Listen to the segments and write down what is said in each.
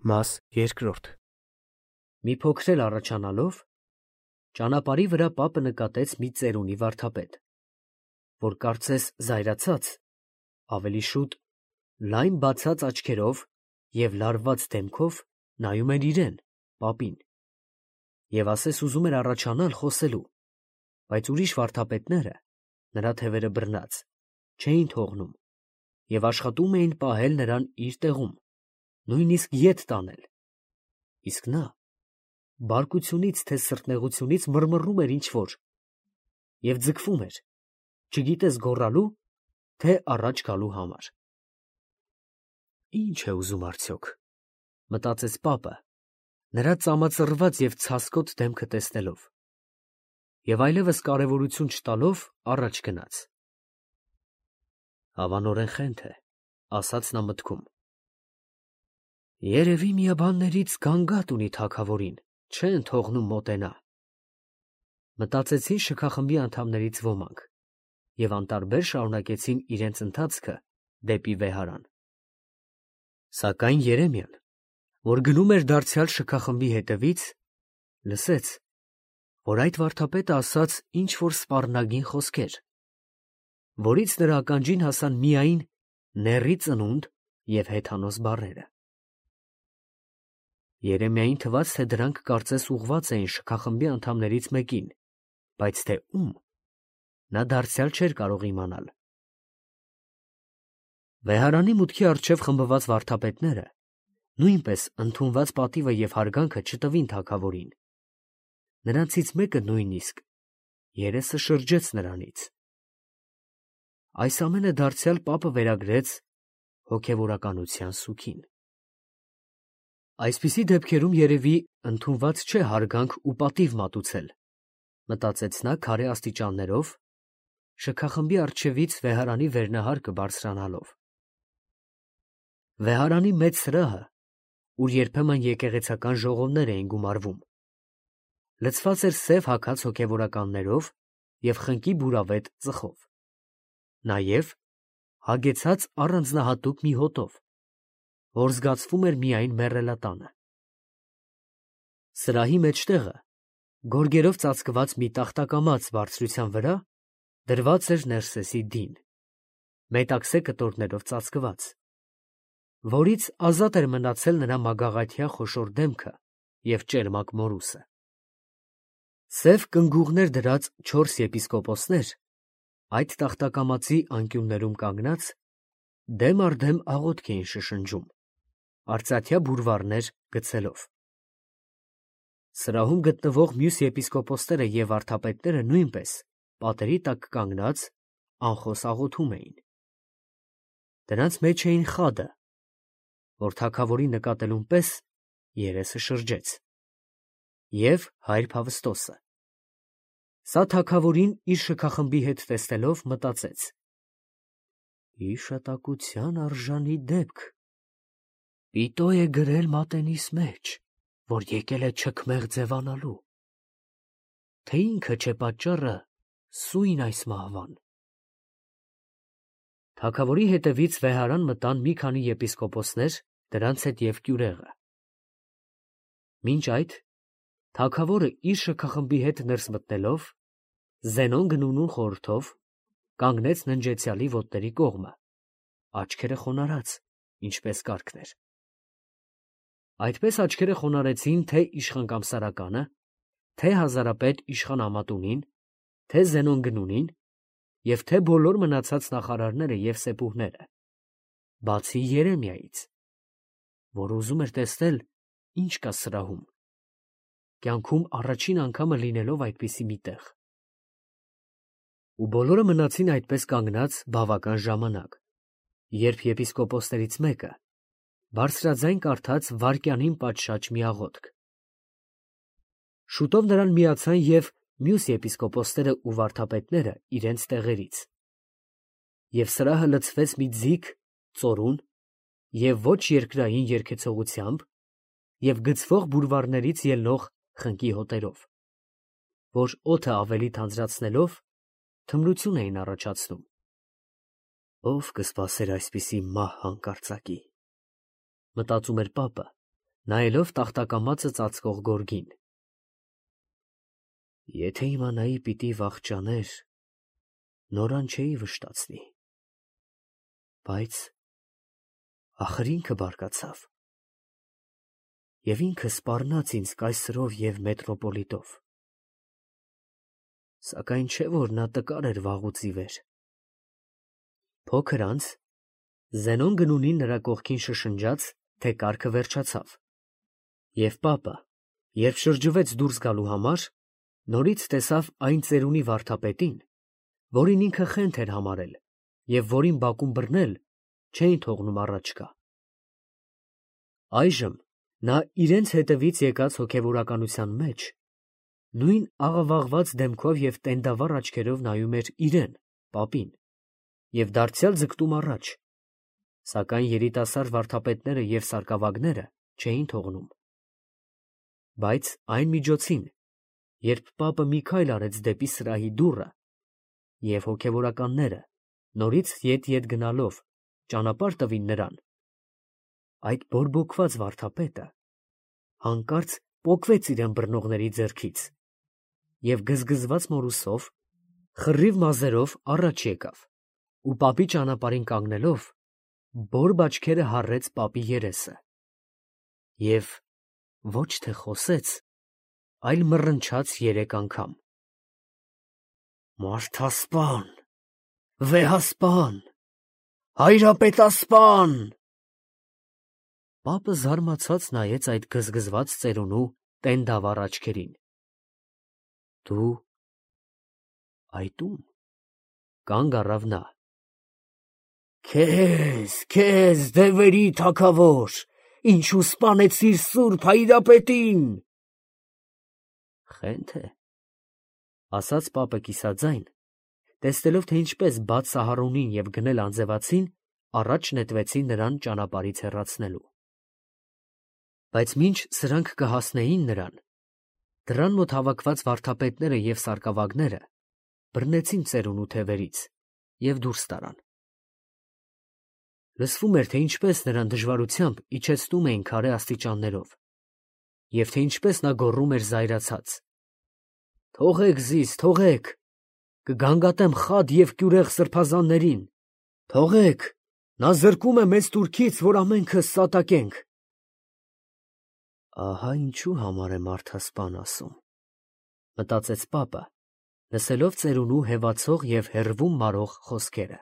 Մաս երկրորդ։ Մի փոքր էլ առաջանալով, ճանապարհի վրա պապը նկատեց մի ծերունի վարդապետ, որ կարծես զայրացած, ավելի շուտ լայն բացած աչքերով և լարված դեմքով նայում էր իրեն, պապին, և ասես ուզում էր առաջանալ խոսելու, բայց ուրիշ վարդապետները, նրա թևերը բռնած, չէին թողնում և աշխատում էին պահել նրան իր տեղում, նույնիսկ ետ տանել, իսկ նա բարկությունից թե սրտնեղությունից մռմռում էր ինչ-որ և ձգվում էր, չգիտես գոռալու, թե առաջ գալու համար։ «Ի՞նչ է ուզում արդյոք», մտածեց պապը, նրա ծամածռված և ցասկոտ դեմքը տեսնելով, և այլևս կարևորություն չտալով առաջ գնաց։ «Հավանորեն խենթ է», ասաց նա մտքում։ «Երևի միաբաններից գանգատ ունի թագավորին, չեն թողնում մոտենա», մտածեցին շքախմբի անդամներից ոմանք և անտարբեր շարունակեցին իրենց ընթացքը դեպի վեհարան։ Սակայն Երեմիան, որ գնում էր դարձյալ շքախմբի հետևից, լսեց, որ այդ վարդապետը ասաց ինչ-որ սպառնագին խոսքեր, որից նրա ականջին հասան միայն «նեռի ծնունդ» և «հեթանոս» բառերը։ Երեմիային թվաց, թե դրանք կարծես ուղղված էին շքախմբի անդամներից մեկին, բայց թե ում, նա դարձյալ չէր կարող իմանալ։ Վեհարանի մուտքի առջև խմբված վարդապետները նույնպես ընդունված պատիվը և հարգանքը չտվին թագավորին. նրանցից մեկը նույնիսկ երեսը շրջեց նրանից։ Այս ամենը դարձյալ պապը վերագրեց հոգևորականության սուգին։ Այսպիսի դեպքերում երևի ընդունված չէ հարգանք ու պատիվ մատուցել, մտածեց նա քարե աստիճաններով, շքախմբի առջևից վեհարանի վերնահարկը բարձրանալով։ Վեհարանի մեծ սրահը, ուր երբեմն եկեղեցական ժողովներ էին գումարվում, լցված էր սև հագած հոգևորականներով և խնկի բուրավետ ծխով, նաև հագեցած առանձնահատուկ մի հոտով, որ զգացվում էր միայն մեռելատանը։ Սրահի մեջտեղը, գորգերով ծածկված մի տախտակամած բարձրության վրա, դրված էր Ներսեսի դին, մետաքսե կտորներով ծածկված, որից ազատ էր մնացել նրա մագաղաթյա խոշոր դեմքը և ճերմակ մորուսը։ Սև կնգուղներ դրած 4 եպիսկոպոսներ այդ տախտակամածի անկյուններում կանգնած, դեմ առ դեմ աղոթք էին շշնջում, արծաթյա բուրվառներ գցելով։ Սրահում գտնվող մյուս եպիսկոպոսները և վարդապետները նույնպես պատերի տակ կանգնած անխոս աղոթում էին։ Դրանց մեջ էին Խադը, որ թագավորին նկատելուն պես երեսը շրջեց, և հայր Փավստոսը։ Սա թագավորին իր շքախմբի հետ տեսնելով մտածեց. «Հիշատակության արժանի դեպք պիտո է գրել մատենիս մեջ, որ եկել է չքմեղ ձևանալու, թե ինքը չէ պատճառը սույն այս մահվան»։ Թագավորի հետևից վեհարան մտան մի քանի եպիսկոպոսներ, դրանց հետ և կյուրեղը։ Մինչ այդ թագավորը իր շքախմբի հետ ներս մտնելով, Զենոն գնունուն խորհրդով, կանգնեց ննջեցյալի ոտների կողմը, աչքերը խոնարհած, ինչպես կարգն էր։ Այդպես աչքերը խոնարհեցին թե իշխան-կամսարականը, թե հազարապետ իշխան Ամատունին, թե Զենոն գնունին և թե բոլոր մնացած նախարարները և սեպուհները, բացի Երեմիայից, որ ուզում էր տեսնել, ինչ կա սրահում, կյանքում առաջին անգամը լինելով այդպիսի մի տեղ։ Ու բոլորը մնացին այդպես կանգնած բավական ժամանակ, երբ եպիսկոպոսներից մեկը բարձրաձայն կարդաց վայրկյանին պատշաճ մի աղոթք։ Շուտով նրան միացան և մյուս եպիսկոպոսները ու վարդապետները իրենց տեղերից, և սրահը լցվեց մի ձիգ, ծորուն և ոչ երկրային երգեցողությամբ և գցվող բուրվառներից ելնող խնկի հոտերով, որ օդը ավելի թանձրացնելով, թմրություն էին առաջացնում։ Ո՞վ կսպասեր այսպիսի մահ հանկարծակի, մտածում էր պապը, նայելով տախտակամածը ծածկող գորգին։ Եթե իմանայի պիտի վախճաներ, նորան չէի վշտացնի, բայց ախր ինքը բարկացավ, և ինքը սպառնաց ինձ կայսրով և մետրոպոլիտով, սակայն չէ, որ նա տկար էր վաղուց ի վեր։ Փոքր անց Զենոն գնունին նրա կողքին շշնջաց, թե կարգը վերջացավ, և պապը, երբ շրջվեց դուրս գալու համար, նորից տեսավ այն ծերունի վարդապետին, որին ինքը խենթ էր համարել և որին բակում բռնել չէին թողնում առաջ գա։ Այժմ նա իրենց հետևից եկած հոգևորականության մեջ նույն աղավաղված դեմքով և տենդավառ աչքերով նայում էր իրեն, պապին, և դարձյալ ձգտում առաջ, սակայն երիտասարդ վարդապետները և սարկավագները չէին թողնում։ Բայց այն միջոցին, երբ պապը մի քայլ արեց դեպի սրահի դուռը, և հոգևորականները, նորից ետ գնալով, ճանապարհ տվին նրան, այդ բորբոքված վարդապետը հանկարծ պոկվեց իրան բռնողների ձեռքից և գզգզված մորուսով, խռիվ մազերով առաջ եկավ ու պապի ճանապարհին կանգնելով, բորբ աչքերը հառեց պապի երեսը և ոչ թե խոսեց, այլ մռնչաց 3 անգամ. «Մարդասպան, վեհասպան, հայրապետասպան»։ Պապը զարմացած նայեց այդ գզգզված ծերունու տենդավառ աչքերին։ Դու այդու՞մ, կանգ առավ նա։ Քեզ, դևերի թագավոր, ինչու սպանեցիր սուրբ հայրապետին։ Խենթ է, ասաց պապը կիսաձայն, տեսնելով, թե ինչպես բաց Սահարոնին և գնել անձևացին առաջ նետվեցին նրան ճանապարհից հեռացնելու։ Բայց մինչ սրանք կհասնեին նրան, դռան մոտ հավաքված վարդապետները և սարկավագները բռնեցին ծերունու թևերից և դուրս տարան։ Լսվում էր, թե ինչպես նրան դժվարությամբ իջեցնում էին քարե աստիճաններով, և թե ինչպես նա գոռում էր զայրացած. «Թողեք զիս, թողեք, կգանգատեմ խադ և կյուրեղ սրբազաններին, թողեք, նա զրկում է մեզ տուրքից, որ ամենքս սատակենք»։ Ահա ինչու համար է մարդասպան ասում, մտածեց պապը, լսելով ծերունու հևացող և հեռվում մարող խոսքերը։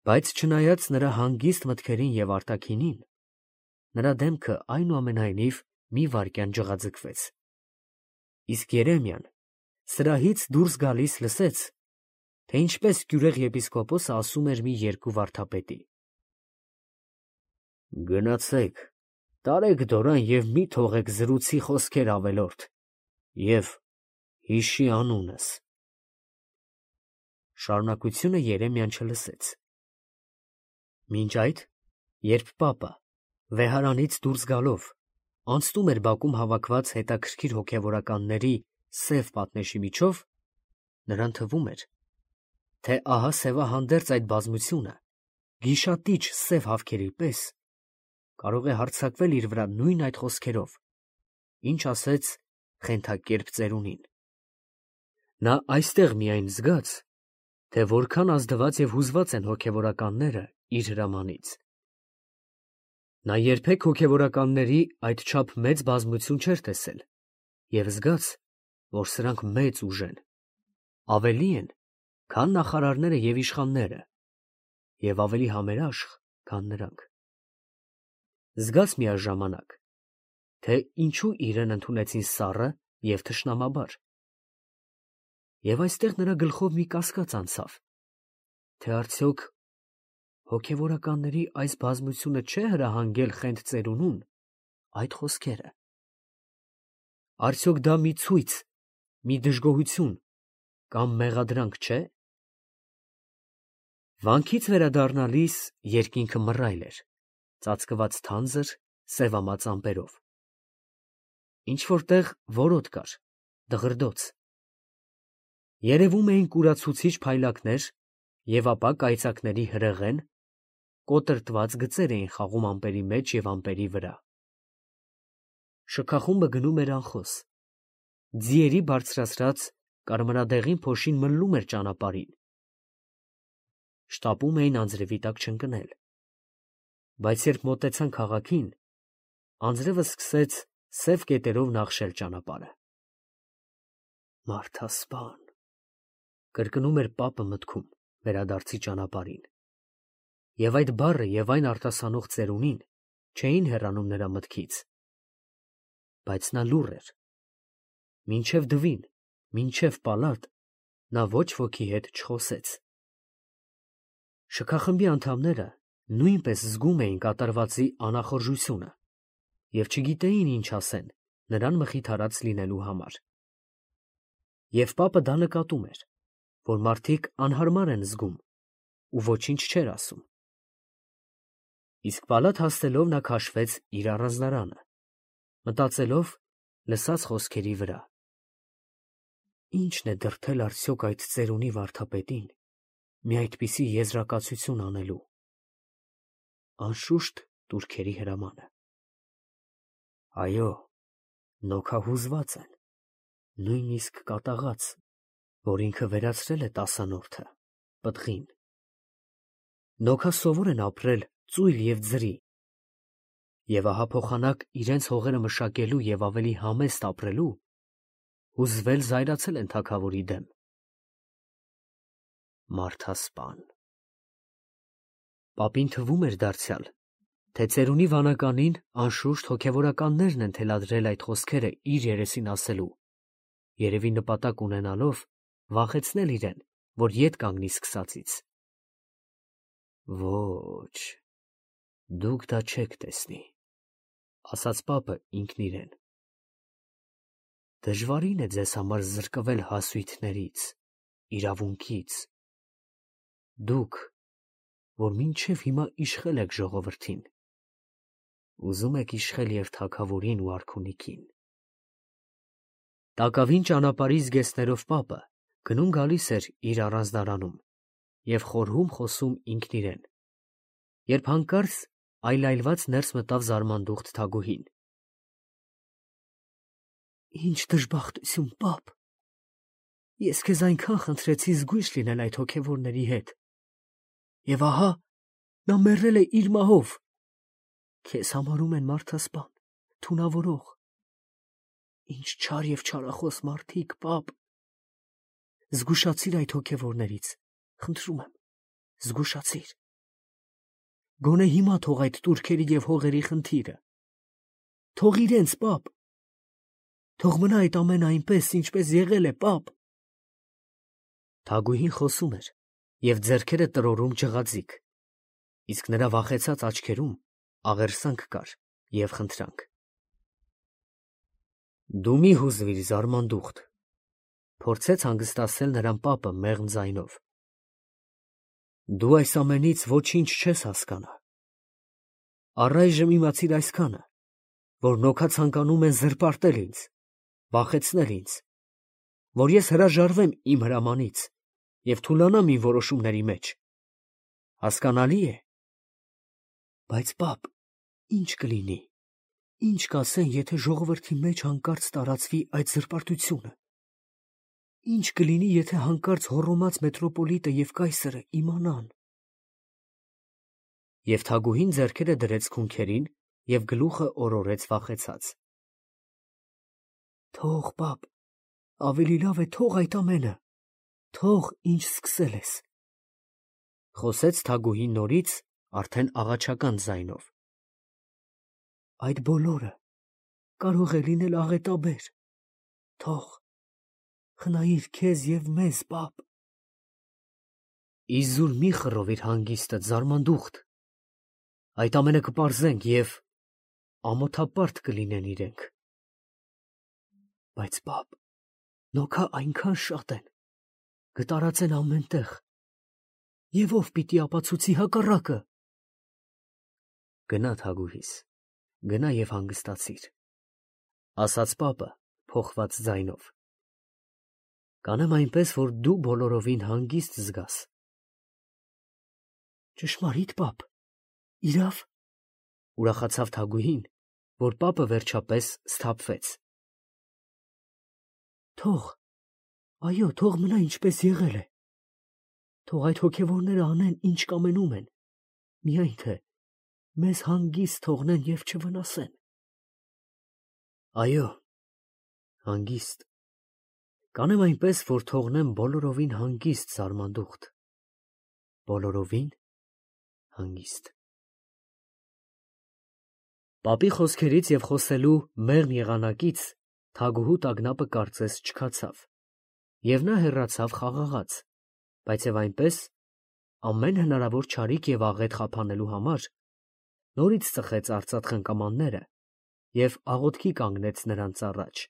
Բայց չնայած նրա հանգիստ մտքերին և արտաքինին, նրա դեմքը այնուամենայնիվ մի վայրկյան ջղաձգվեց, իսկ Երեմիան սրահից դուրս գալիս լսեց, թե ինչպես գյուղեղ եպիսկոպոսը ասում էր մի երկու վարդապետի. «Գնացեք, տարեք դորան և մի թողեք զրույցի խոսքեր ավելորդ և հիշի անունս»։ Շարունակությունը Երեմիան չլսեց։ Մինչ այդ, երբ պապը, վեհարանից դուրս գալով, անցնում էր բակում հավաքված հետաքրքիր հոգևորականների սև պատնեշի միջով, նրան թվում էր, թե ահա սևահանդերձ այդ բազմությունը, գիշատիչ սև հավքերի պես, կարող է հարձակվել իր վրա նույն այդ խոսքերով, ինչ ասեց խենթակերպ ծերունին։ Նա այստեղ միայն զգաց, թե որքան ազդված և հուզված են հոգևորականները իր հրամանից։ Նա երբեք հոգևորականների այդչափ մեծ բազմություն չէր տեսել և զգաց, որ սրանք մեծ ուժ են, ավելի են, քան նախարարները և իշխանները, և ավելի համերաշխ, քան նրանք։ Զգաց միաժամանակ, թե ինչու իրեն ընդունեցին սառը և թշնամաբար։ Եվ այստեղ նրա գլխով մի կասկած անցավ, թե արդյոք հոգևորականների այս բազմությունը չէ հրահանգել խենթ ծերունուն այդ խոսքերը։ Արդյոք դա մի ցույց, մի դժգոհություն կամ մեղադրանք չէ։ Վանքից վերադառնալիս երկինքը մռայլ էր, ծածկված թանձր սևամած ամպերով։ Ինչ֊որ տեղ որոտ կար, դղրդոց։ Երևում էին կուրացուցիչ փայլակներ և ապա կայծակների հրեղեն, կոտրտված գծեր էին խաղում ամպերի մեջ և ամպերի վրա։ Շքախումբը գնում էր անխոս։ Ձիերի բարձրացրած կարմրադեղին փոշին մլնում էր ճանապարհին։ Շտապում էին անձրևի տակ չընկնել։ Բայց երբ մոտեցան քաղաքին, անձրևը սկսեց սև կետերով նախշել ճանապարհը։ Մարդասպան, կրկնում էր պապը մտքում, վերադարձի ճանապարհին։ Եվ այդ բառը և այն արտասանող ծերունին չէին հեռանում նրա մտքից։ Բայց նա լուռ էր։ Մինչև դվին, մինչև պալատ, նա ոչ ոքի հետ չխոսեց։ Շքախմբի անդամները նույնպես զգում էին կատարվածի անախորժությունը և չգիտեին ինչ ասեն նրան մխիթարած լինելու համար։ Եվ պապը դա նկատում էր, որ մարդիկ անհարմար են զգում ու ոչինչ չէր ասում։ Իսկ պալատ հասնելով նա քաշվեց իր առանձնարանը, մտածելով լսած խոսքերի վրա. ի՞նչն է դրդել արդյոք այդ ծերունի վարդապետին մի այդպիսի եզրակացություն անելու։ Անշուշտ տուրքերի հրամանը։ Այո, նոքահուզված են, նույնիսկ կատաղած, որ ինքը վերացրել է տասանորդը, պտղին։ Նոքասովոր են ապրել ծույլ և ձրի, և ահա փոխանակ իրենց հողերը մշակելու և ավելի համեստ ապրելու, հուզվել զայրացել են թագավորի դեմ։ Մարդասպան։ Պապին թվում էր դարձյալ, թե ծերունի վանականին անշուշտ հոգևորականներն են թելադրել այդ խոսքերը իր երեսին ասելու, երևի նպատակ ունենալով վախեցնել իրեն, որ ետ կանգնի սկսածից։ Ոչ, դուք դա չեք տեսնի, ասաց պապը ինքն իրեն։ Դժվարին է ձեզ համար զրկվել հասույթներից, իրավունքից։ Դուք, որ մինչև հիմա իշխել եք ժողովրդին, ուզում եք իշխել և թագավորին ու արքունիքին։ Տակավին ճանապարհի զգեստներով պապը գնում գալիս էր իր առանձնարանում և խորհում խոսում ինքն իրեն, երբ հանկարծ այլայլված ներս մտավ զարմանդուխտ Թագուհին։ Ինչ դժբախտություն, պապ, ես քեզ այնքան խնդրեցի զգույշ լինել այդ հոգևորների հետ, և ահա նա մեռել է իր մահով։ Քեզ համարում են մարդասպան, թունավորող։ Ինչ չար և չարախոս մարդիկ, պապ։ Զգուշացիր այդ հոգևորներից, խնդրում եմ, զգուշացիր։ Գոնե հիմա թող այդ տուրքերի և հողերի խնդիրը։ Թող իրենց, պապ։ Թող մնա այդ ամենը այնպես, ինչպես եղել է, պապ։ Թագուհին խոսում էր և ձեռքերը տրորում ջղաձիգ, իսկ նրա վախեցած աչքերում աղերսանք կար և խնդրանք։ Դու մի հուզվիր, զարմանդուխտ, փորձեց հանգստացնել նրան պապը մեղմ ձայնով։ Դու այս ամենից ոչինչ չես հասկանա։ Առայժմ իմացիր այսքանը, որ նոքա ցանկանում են զրպարտել ինձ, վախեցնել ինձ, որ ես հրաժարվեմ իմ հրամանից և թուլանամ իմ որոշումների մեջ։ Հասկանալի է։ Բայց պապ, ի՞նչ կլինի։ Ի՞նչ կասեն, եթե ժողովրդի մեջ հանկարծ տարածվի այդ զրպարտությունը։ Ի՞նչ կլինի, եթե հանկարծ հոռոմած մետրոպոլիտը և կայսրը իմանան։ Եվ Թագուհին ձեռքերը դրեց քունքերին և գլուխը օրորեց վախեցած։ Թող, պապ, ավելի լավ է թող այդ ամենը, թող ինչ սկսել ես, խոսեց Թագուհին նորից, արդեն աղաչական ձայնով։ Այդ բոլորը կարող է լինել աղետաբեր։ Թող, խնայիր քեզ և մեզ, պապ։ Իզուր մի խռովիր հանգիստդ, զարմանդուխտ։ Այդ ամենը կպարզենք և ամոթապարտ կլինեն իրենք։ Բայց պապ, նոքա այնքան շատ են, կտարածեն ամեն տեղ, և ով պիտի ապացուցի հակառակը։ Գնա, Թագուհիս, գնա և հանգստացիր, ասաց պապը փոխված ձայնով։ Կանեմ այնպես, որ դու բոլորովին հանգիստ զգաս։ Ճշմարի՞տ, պապ, Իրավ, ուրախացավ Թագուհին, որ պապը վերջապես սթափվեց։ Թող, այո, թող մնա ինչպես եղել է։ Թող այդ հոգևորները անեն, ինչ կամենում են, միայն թե մեզ հանգիստ թողնեն և չվնասեն։ Այո, հանգիստ։ Կանեմ այնպես, որ թողնեմ բոլորովին հանգիստ Սարմանդուղտ, բոլորովին հանգիստ։ Պապի խոսքերից և խոսելու մեղմ եղանակից Թագուհու տագնապը կարծես չքացավ, և նա հեռացավ խաղաղած, բայց և այնպես, ամեն հնարավոր չարիք և աղետ խափանելու համար, նորից ծխեց արծաթ խնկամանները և աղոթքի կանգնեց նրանց առաջ։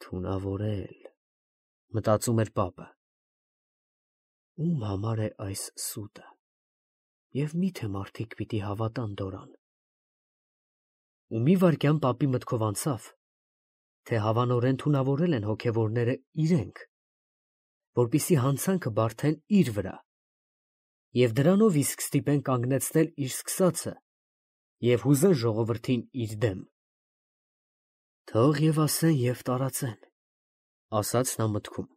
Թունավորել, մտածում էր պապը, ում համար է այս սուտը, և միթե մարդիկ պիտի հավատան դորան։ Ու մի վայրկյան պապի մտքով անցավ, թե հավանորեն թունավորել են հոգևորները իրենք, որպեսզի հանցանքը բարդեն իր վրա, և դրանով իսկ ստիպեն կանգնեցնել իր սկսածը և հուզեն ժողովրդին իր դեմ։ Թող և ասեն և տարածեն, ասաց նա մտքում։